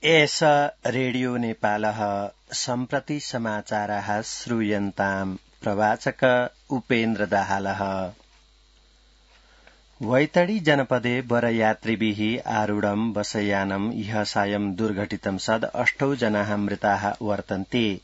एष रेडियो नेपालः सम्प्रति समाचाराः श्रूयन्ताम् प्रवाचक उपेन्द्र दाहालः। वैतडी जनपदे वरयात्रिभिः आरूढं बसयानं इह सायं दुर्घटितं सद् 8 जनाः मृताः वर्तन्ते।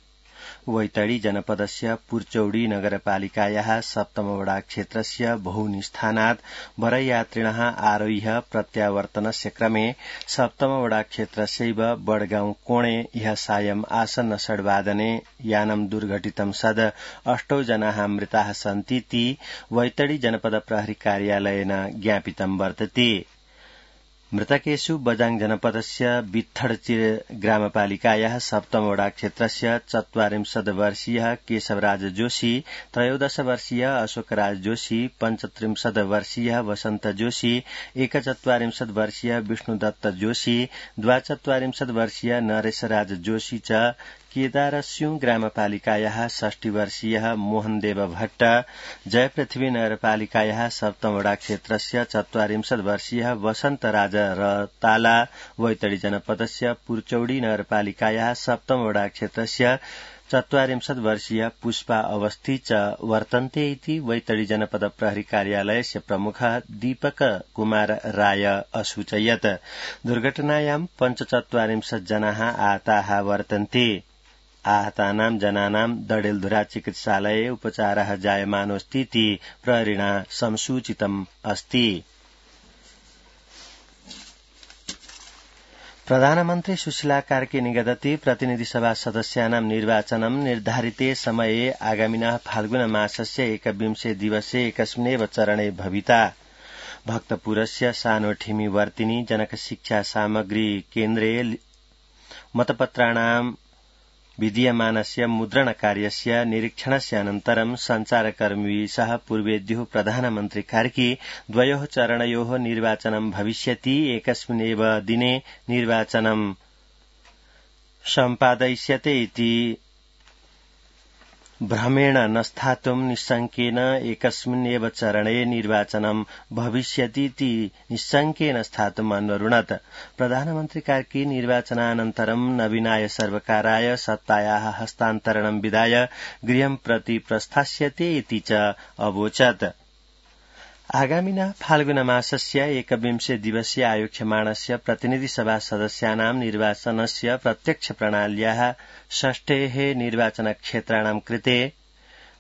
वैतडी जनपदस्य पुर्चौडी नगरपालिकायाः सप्तमवडा क्षेत्रस्य बहूनि स्थानात् वरयात्रिणः आरोह्य प्रत्यावर्तनस्य क्रमे सप्तमवडा क्षेत्रस्यैव बडगाउँ कोणे इह सायं आसन्न षड्वादने यानं दुर्घटितं सद् 8 जनाः मृताः सन्तीति वैतडी जनपद प्रहरी कार्यालयेन ज्ञापितं वर्तते। मृतकेषु बजाङ जनपदस्य बित्थडचिर ग्रामपालिकायाः सप्तमवडा क्षेत्रस्य 44 वर्षीयः केशवराज जोशी, 13 वर्षीय अशोकराज जोशी, 35 वर्षीय वसन्त जोशी, 41 वर्षीय विष्णुदत्त जोशी, 42 वर्षीय नरेशराज जोशी च केदारस्यु ग्रामपालिकायाः 60 वर्षीयः मोहनदेव भट्ट, जयपृथ्वी नगरपालिकायाः सप्तमवडा क्षेत्रस्य 44 वर्षीयः वसन्तराज रताला, वैतडी जनपदस्य पुर्चौडी नगरपालिकायाः सप्तमवडा क्षेत्रस्य 44 वर्षीय पुष्पा अवस्थी च वर्तन्ते इति वैतडी जनपद प्रहरी कार्यालयस्य प्रमुख दीपक कुमार राय असूचयत्। दुर्घटनायां 45 जनाः आहताः वर्तन्ते। आहतानां जनानां दडेलधुरा चिकित्सालये उपचारः जायमानोऽस्तीति प्रहरिणा संसूचितम् अस्ति। प्रधानमन्त्री सुशीला कार्की निगदति प्रतिनिधिसभा सदस्यानां निर्वाचनं निर्धारिते समये आगामिनः फाल्गुन मासस्य 21 दिवसे एकस्मिन्नेव चरणे भविता। भक्तपुरस्य सानोठिमी वर्तिनी जनक शिक्षा सामग्री केन्द्रे मतपत्राणां विधीयमानस्य मुद्रणकार्यस्य निरीक्षणस्य अनन्तरं सञ्चारकर्मिभिः सह पूर्वेद्युः प्रधानमन्त्री कार्की द्वयोः चरणयोः निर्वाचनं भविष्यति। एकस्मिन्नेव दिने निर्वाचनं सम्पादयिष्यते इति भ्रमेण न स्थातुं निश्शङ्केन एकस्मिन्नेव चरणे निर्वाचनं भविष्यतीति निश्शङ्केन स्थातुम् अन्वरुणत्। प्रधानमन्त्री कार्की निर्वाचनानन्तरं नवीनाय सर्वकाराय सत्तायाः हस्तान्तरणं विधाय गृहं प्रति प्रस्थास्यते इति च अवोचत्। आगामिनः फाल्गुन मासस्य 21 दिवसीय आयोक्ष्यमाणस्य प्रतिनिधिसभा सदस्यानां निर्वाचनस्य प्रत्यक्ष प्रणाल्याः 6 निर्वाचनक्षेत्राणां कृते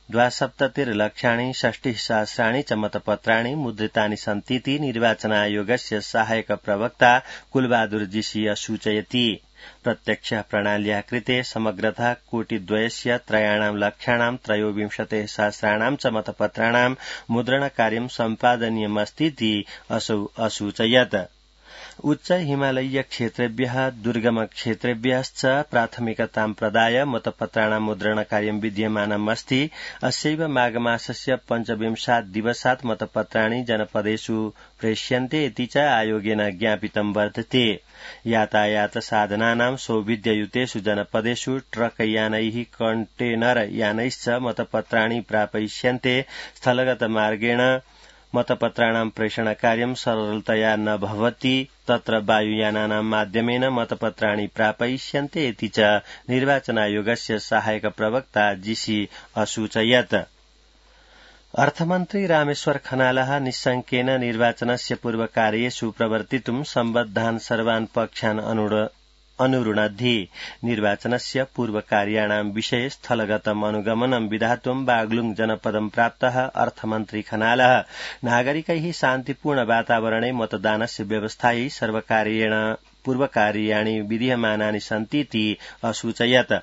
72,60,60 च मतपत्राणि मुद्रितानि सन्तीति निर्वाचनायोगस्य सहायक प्रवक्ता कुलबहादुर जीसी सूचयति। प्रत्यक्ष प्रणाल्या कृते समग्रतः 1,23,00,000 च मतपत्राणां मुद्रणकार्यं सम्पादनीयमस्तीति असौ असूचयत्। उच्च हिमालयीय क्षेत्रेभ्यः दुर्गम क्षेत्रेभ्यश्च प्राथमिकतां प्रदाय मतपत्राणां मुद्रणकार्यं विद्यमानमस्ति। अस्यैव माघमासस्य 25 दिवसात् मतपत्राणि जनपदेषु प्रेष्यन्ते इति च आयोगेन ज्ञापितं वर्तते। यातायात साधनानां सौविध्ययुतेषु जनपदेषु ट्रकयानैः कण्टेनर यानैश्च मतपत्राणि प्रापयिष्यन्ते। स्थलगत मार्गेण मतपत्राणां प्रेषणकार्यं सरलतया न भवति। तत्र वायुयानानां माध्यमेन मतपत्राणि प्रापयिष्यन्ते इति च निर्वाचनायोगस्य सहायक प्रवक्ता जीसी असूचयत्। अर्थमन्त्री रामेश्वर खनालः निश्शङ्केन निर्वाचनस्य पूर्वकार्येषु प्रवर्तितुं सम्बद्धान् सर्वान् पक्षान् अनुरुणद्धि। निर्वाचनस्य पूर्वकार्याणां विषये स्थलगतम् अनुगमनं विधातुं बागलुङ जनपदं प्राप्तः अर्थमन्त्री खनालः नागरिकैः शान्तिपूर्ण वातावरणे मतदानस्य व्यवस्थायै सर्वकार्येण पूर्वकार्याणि विधीयमानानि सन्तीति असूचयत्।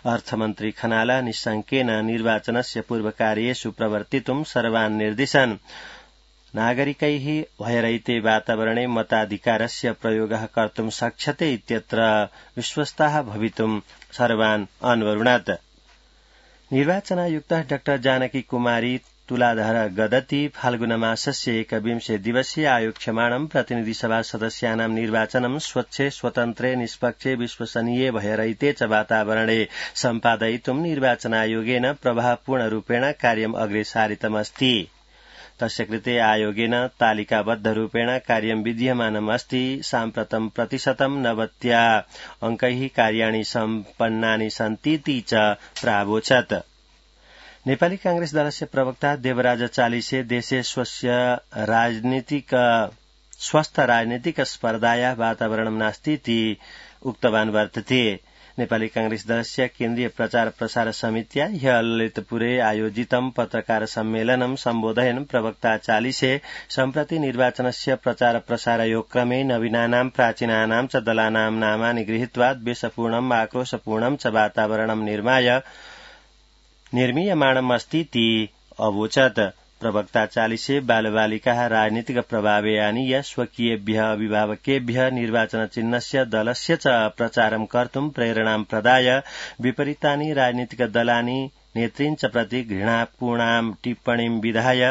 अर्थमन्त्री खनालः निश्शङ्केन निर्वाचनस्य पूर्वकार्येषु प्रवर्तितुं सर्वान् निर्दिशन्। नागरिकैः भयरहिते वातावरणे मताधिकारस्य प्रयोगः कर्तुं शक्यते इत्यत्र विश्वस्ताः भवितुं सर्वान् अन्वरुणत्। निर्वाचनायुक्तः डॉ जानकी कुमारी तुलाधर गदति फाल्गुन मासस्य 21 दिवसीय आयोक्ष्यमाणं प्रतिनिधिसभा सदस्यानां निर्वाचनं स्वच्छे स्वतन्त्रे निष्पक्षे विश्वसनीये भयरहिते च वातावरणे सम्पादयितुं निर्वाचनायोगेन प्रभावपूर्णरूपेण कार्यम् अग्रे सारितमस्ति। तस्य कृते आयोगेन तालिकाबद्धरूपेण कार्यं विधीयमानमस्ति। साम्प्रतं प्रतिशतं 90 अंकैः कार्याणि सम्पन्नानि सन्तीति च प्रावोचत्। नेपाली कांग्रेस दलस्य प्रवक्ता देवराज चालिसे देशे स्वस्थ राजनीतिक स्पर्धाया वातावरणं नास्तीति उक्तवान् वर्तते। नेपाली कांग्रेस दलस्य केन्द्रीय प्रचार प्रसार समित्या ह्य ललितपुरे आयोजितं पत्रकार सम्मेलनं सम्बोधयन् प्रवक्ता चालिसे सम्प्रति निर्वाचनस्य प्रचार प्रसारयोगक्रमे नवीनानां प्राचीनानां च दलानां नामानि गृहीत्वा द्वेषपूर्णम् आक्रोशपूर्णं च वातावरणं निर्मीयमाणमस्तीति अवोचत्। प्रवक्ता चालिसे बालबालिकाः राजनीतिक प्रभावे आनीय स्वकीयेभ्यः अभिभावकेभ्यः निर्वाचनचिह्नस्य दलस्य च प्रचारं कर्तुं प्रेरणां प्रदाय विपरीतानि राजनीतिक दलानि नेतृञ्च प्रति घृणापूर्णां टिप्पणीं विधाय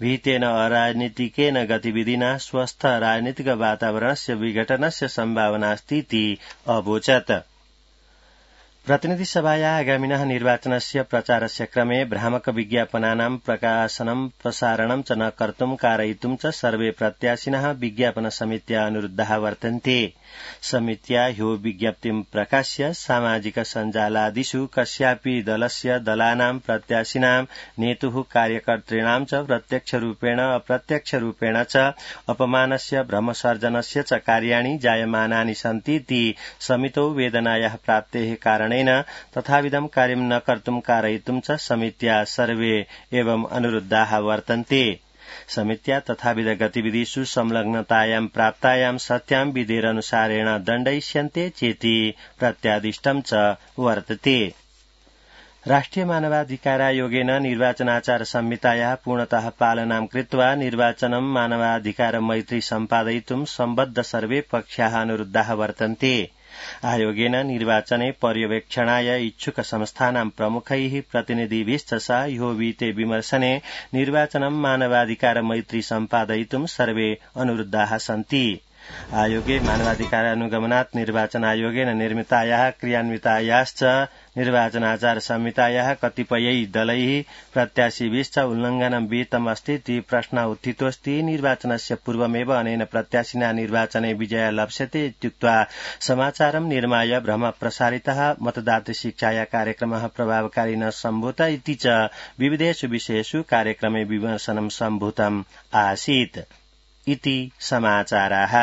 विहितेन अराजनीतिकेन गतिविधिना स्वस्थ राजनीतिक वातावरणस्य विघटनस्य सम्भावनास्तीति अवोचत्। प्रतिनिधिसभाया आगामिनः निर्वाचनस्य प्रचारस्य क्रमे भ्रामक विज्ञापनानां प्रकाशनं प्रसारणं च न कर्तुं कारयितुं च सर्वे प्रत्याशिनः विज्ञापन समित्या अनुरुद्धाः वर्तन्ते। समित्या ह्यो विज्ञप्तिं प्रकाश्य सामाजिक सञ्जालादिषु कस्यापि दलस्य दलानां प्रत्याशिनां नेतुः कार्यकर्तॄणां च प्रत्यक्षरूपेण अप्रत्यक्षरूपेण च अपमानस्य भ्रमसर्जनस्य च कार्याणि जायमानानि सन्तीति समितौ वेदनायाः प्राप्तेः कारणेन तथाविधं कार्यं न कर्तुं कारयितुं च समित्या सर्वे एवं अनुरुद्धाः वर्तन्ते। समित्या तथाविध गतिविधिषु संलग्नतायां प्राप्तायां सत्यां विधिरनुसारेण दण्डयिष्यन्ते चेति प्रत्यादिष्टं च वर्तते। राष्ट्रिय मानवाधिकारायोगेन निर्वाचनाचार संहितायाः पूर्णतः पालनां कृत्वा निर्वाचनं मानवाधिकार मैत्री सम्पादयितुं सम्बद्ध सर्वे पक्षाः अनुरुद्धाः वर्तन्ते। आयोगेन निर्वाचने पर्यवेक्षणाय इच्छुक संस्थानां प्रमुखैः प्रतिनिधिभिश्च सह ह्यो विहिते विमर्शने निर्वाचनं मानवाधिकार मैत्री सम्पादयितुं सर्वे अनुरुद्धाः सन्ति। आयोगे मानवाधिकारानुगमनात् निर्वाचनायोगेन निर्मितायाः क्रियान्वितायाश्च निर्वाचनाचार संहितायाः कतिपयै दलैः प्रत्याशिभिश्च उल्लङ्घनं विहितमस्तीति प्रश्नः उत्थितोऽस्ति। निर्वाचनस्य पूर्वमेव अनेन प्रत्याशिना निर्वाचने विजयः लप्स्यते इत्युक्त्वा समाचारं निर्माय भ्रमः प्रसारितः। मतदातृ शिक्षाया कार्यक्रमः प्रभावकारी न सम्भूत इति च विविधेषु विषयेषु कार्यक्रमे विमर्शनं सम्भूतम् आसीत् इति समाचाराः।